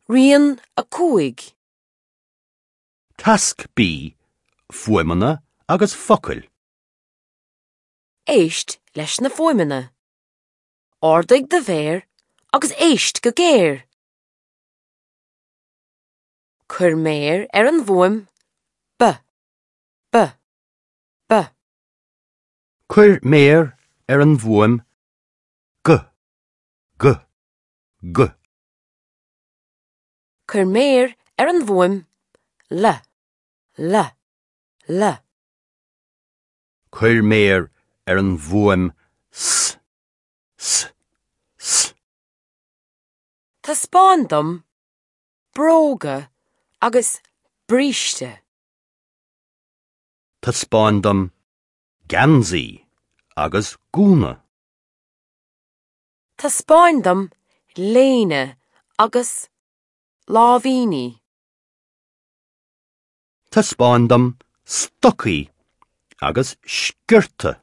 Rian 5. Tasc B, Fuaimeanna agus focail. Éist leis na fuaimeanna. Ardaigh do mhéar agus éist go géar. Cuir méar ar an bhfuaim B, B, B. Cuir méar ar an bhfuaim G, G, G. Cuir méar ar an bhfuaim L, L, L. Cuir méar ar an bhfuaim S, S, S. Taispeáin dom bróga agus bríste. Taispeáin dom geansaí agus gúna. Taispeáin dom léine agus láimhíní. Taispeáin dom stocaí agus sciorta.